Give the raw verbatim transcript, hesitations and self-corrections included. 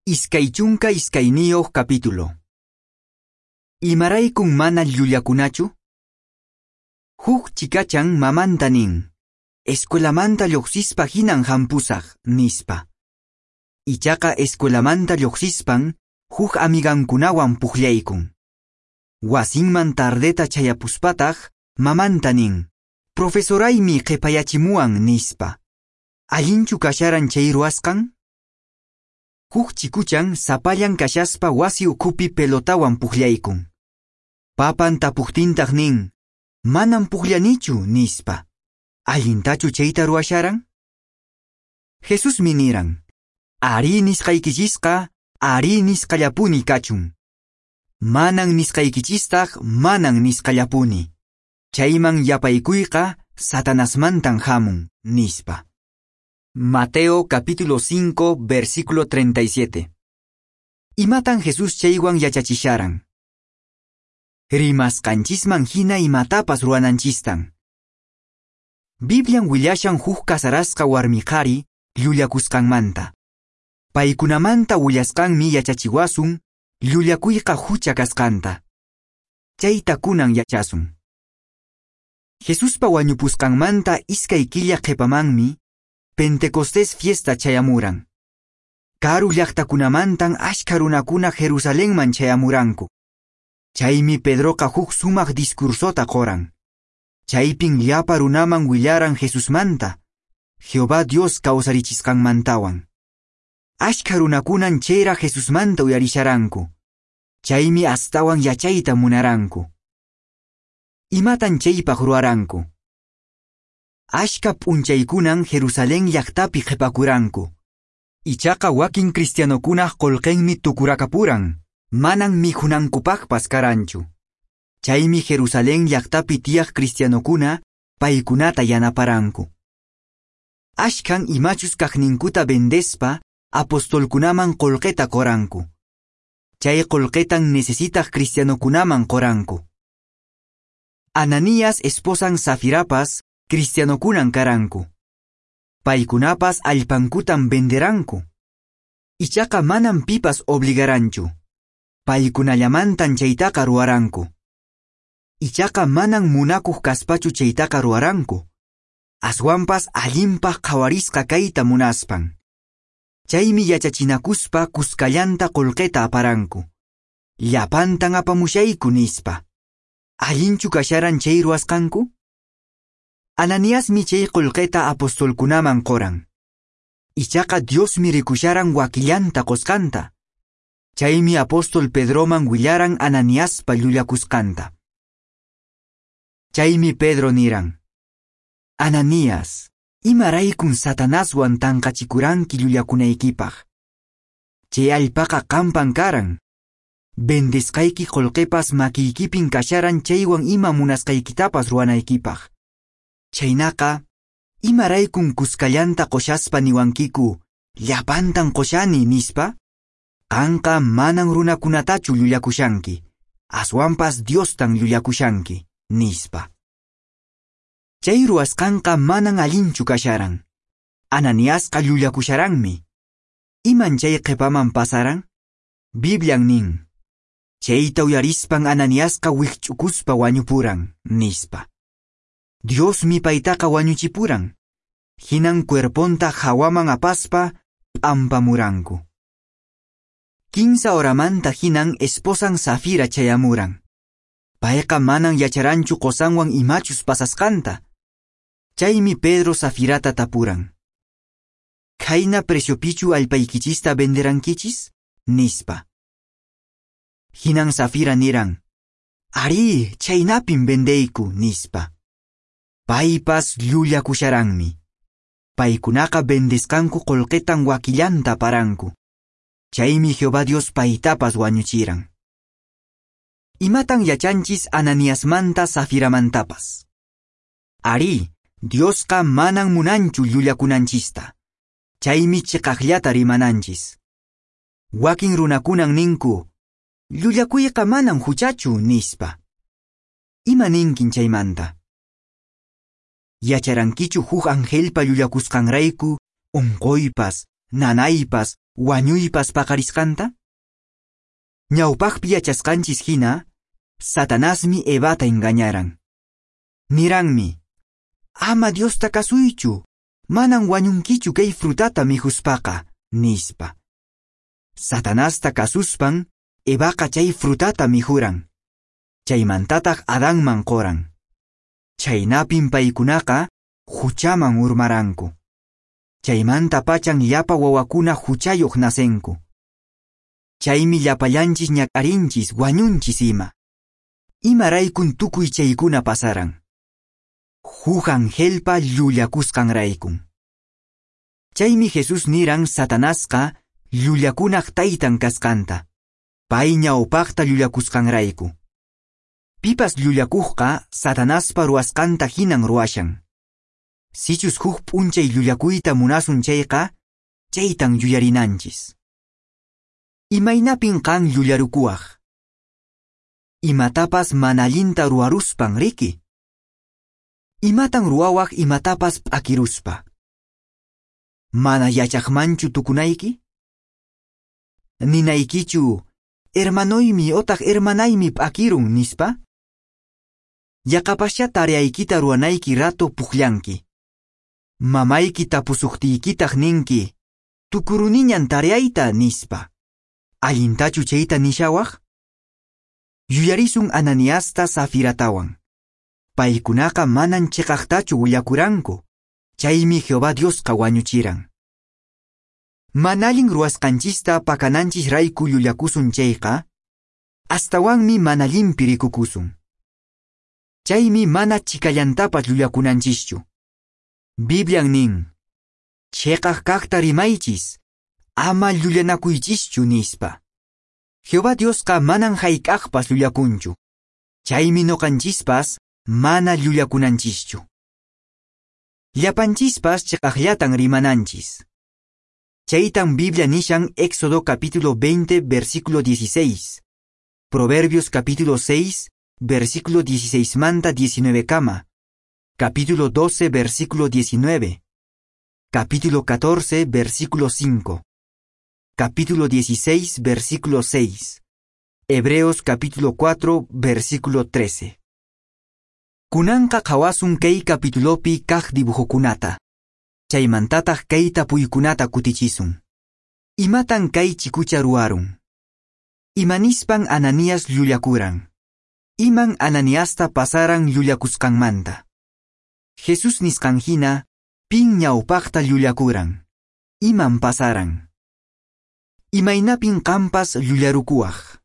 Iskay chunka iskayniyuq capítulo. Imaraykun mana llullakunachu? Huk chikachan mamanta nin, escuelamanta lluqsispa hinan hampusaq, nispa. Ichaqa escuelamanta lluqsispan huk amigankunawan pukllaykun. Wasinman tardeta chayapuspataq mamanta nin, profesoraymi qhipayachimuwan, nispa. Allinchu kasharan chay ruwasqan? Huk chikuchan sapallan kashaspa wasi ukhupi pelotawan pukllaykun. Papan tapuqtintaq nin, manam pukllanichu, nispa. Allintachu chayta ruwasharan? Jesusmi niran, arí nisqaykichisqa, arí nisqallapuni kachun. Manan nisqaykichistaq, manan nisqallapuni. Chayman yapaykuyqa Satanasmantan hamun, nispa. Mateo capítulo cinco, versículo treinta y siete. Imatan Jesús chaywan yachachisharan? Rimasqanchisman hina imatapas ruwananchistan. Biblian willashan huk kasarasqa warmi qhari llullakusqanmanta. Paykunamanta willasqanmi yachachiwasun llullakuyqa hucha kasqanta. Chayta kunan yachasun. Jesuspa wañupusqanmanta iskay killa qhipamanmi Pentecostés fiesta chayamuran. Karu llaqtakunamantan ashkha runakuna Jerusalenman chayamuranku. Chaymi Pedroqa huk sumaq discursota qoran. Chaypin llapa runaman willaran Jesusmanta, Jehová Dios kawsarichisqanmantawan. Ashkha runakunan chayra Jesusmanta uyarisharanku. Chaymi astawan yachayta munaranku. Imatan chaypaq ruwaranku? Ashka p'unchaykunan Jerusalén llaqtapi qhipakuranku. Ichaqa wakin cristianokunaq qullqinmi tukurakapuran, manan mikhunankupaqpas karanchu. Chaymi Jerusalén llaqtapi tiyaq cristianokuna paykunata yanaparanku. Ashkan imachus kaqninkuta vendespa apostolkunaman qullqita qoranku. Chay qullqitan necesitaq cristianokunaman qoranku. Ananías esposan Safirapas cristianokunan karanku. Paykunapas allpankutan venderanku. Ichaqa manan pipas obligaranchu. Paykunallamantan chaytaqa ruwaranku. Ichaqa manan munakuq kaspachu chaytaqa ruwaranku. Aswanpas allinpaq qhawarisqa kayta munaspan. Chaymi yachachinakuspa kuskallanta qullqita aparanku. Llapantan apamushayku nispa. Allinchu kasharan chay ruwasqanku? Ananiasmi chay qullqita apostolkunaman qoran. Ichaqa Diosmi rikusharan wakillanta qosqanta. Chaymi apóstol Pedroman willaran Ananiaspa llullakusqanta. Chaymi Pedro niran, Ananías, imaraykun Satanaswan tanqachikuranki llullakunaykipaq. Chay allpaqa qampan karan. Vendesqayki qullqipas makiykipin kasharan chaywan ima munasqaykitapas ruwanaykipaq. Chaynaqa, imaraykun kuskallanta qoshaspa niwankiku, llapantan qoshani, nispa? Qanqa manan runakunatachu llullakushanki, aswanpas Diostan llullakushanki, nispa. Chay ruwasqanqa manan allinchu kasharan. Ananiasqa llullakusharanmi. Iman chay qhipaman pasaran? Biblian nin, chayta uyarispan Ananiasqa wikch'ukuspa wañupuran, nispa. Diosmi paytaqa wañuchipuran. Hinan cuerponta hawaman apaspa p'ampamuranku. Kinsa horamanta hinan esposan Safira chayamuran. Payqa manan yacharanchu qosanwan imachus pasasqanta. Chaymi Pedro Safirata tapuran. Khayna preciopichu allpaykichista venderankichis? Nispa. Hinan Safira niran. Arí, chaynapin vendeyku, nispa. Paypas llullakusharanmi. Paykunaqa vendesqanku qullqitan wakillanta aparanku. Chaymi Jehová Dios paytapas wañuchiran. Imatan yachanchis Ananiasmanta Safiramantapas? Arí, Diosqa manan munanchu llullakunanchista. Chaymi chiqaqllata rimananchis. Wakin runakunan ninku, llullakuyqa manan huchachu, nispa. Ima ninkin chaymanta? Yacharankichu huk angelpa llullakusqanrayku, unquypas, nanaypas, wañuypas paqarisqanta? Ñawpaqpi yachasqanchis hina, Satanasmi Evata engañaran. Niranmi, ama Diosta kasuychu, manan wañunkichu kay frutata mikhuspaqa, nispa. Satanasta kasuspan, Evaqa chay frutata mikhuran. Chaymantataq Adanman qoran. Chaynapin paykunaqa huchaman urmaranku. Chaymanta pachan llapa wawakuna huchayuq nacenku. Chaymi llapallanchis ñak'arinchis wañunchis ima. Imaraykun tukuy chaykuna pasaran. Huk angelpa llullakusqanraykun. Chaymi Jesús niran Satanasqa llullakunaq taytan kasqanta. Pay ñawpaqta llullakusqanrayku. Pipas llullakuqqa Satanaspa ruwasqanta hinan ruwashan. Sichus huk p'unchay llullakuyta munasun chayqa, chaytan yuyarinanchis. Imaynapin qan llullarukuwaq? Imatapas mana allinta ruwaruspan riki? Imatan ruwawaq imatapas p'akiruspa? Mana yachaqmanchu tukunayki? Ninaykichu, hermanoymi otaq hermanaymi p'akirun nispa? Yaqapaschá tareaykita ruwanayki rato pukllanki. Mamayki tapusuqtiykitaq ninki, tukuruniñan tareayta nispa. Allintachu chayta nishawaq? Yuyarisun Ananiasta Safiratawan. Paykunaqa manan chiqaqtachu willakuranku, chaymi Jehová Diosqa wañuchiran. Mana allin ruwasqanchista pakananchis rayku llullakusun chayqa, astawanmi mana allinpi rikukusun. Chaymi mana chikallantapas llullakunanchischu. Biblian nin, chiqaq kaqta rimaychis, ama llullanakuychischu nispa. Jehová Diosqa manan hayk'aqpas llullakunchu. Chaymi ñuqanchispas mana llullakunanchischu. Llapanchispas chiqaqllatan rimananchis. Chaytan Biblia nishan Éxodo capítulo veinte, versículo dieciséis. Proverbios capítulo seis, versículo dieciséis manta diecinueve kama. Capítulo doce, versículo diecinueve. Capítulo catorce, versículo cinco. Capítulo dieciséis, versículo seis. Hebreos capítulo cuatro, versículo trece. Kunanqa qhawasun kay capitulopi kaq dibujokunata. Chaymantataq kay tapuykunata kutichisun. Imatan kay chikucha ruwarun? Imanispan Ananías llullakuran? Iman Ananiasta pasaran llullakusqanmanta? Jesús nisqan hina, pin ñawpaqta llullakuran? Iman pasaran? Imaynapin qampas llullarukuwaq?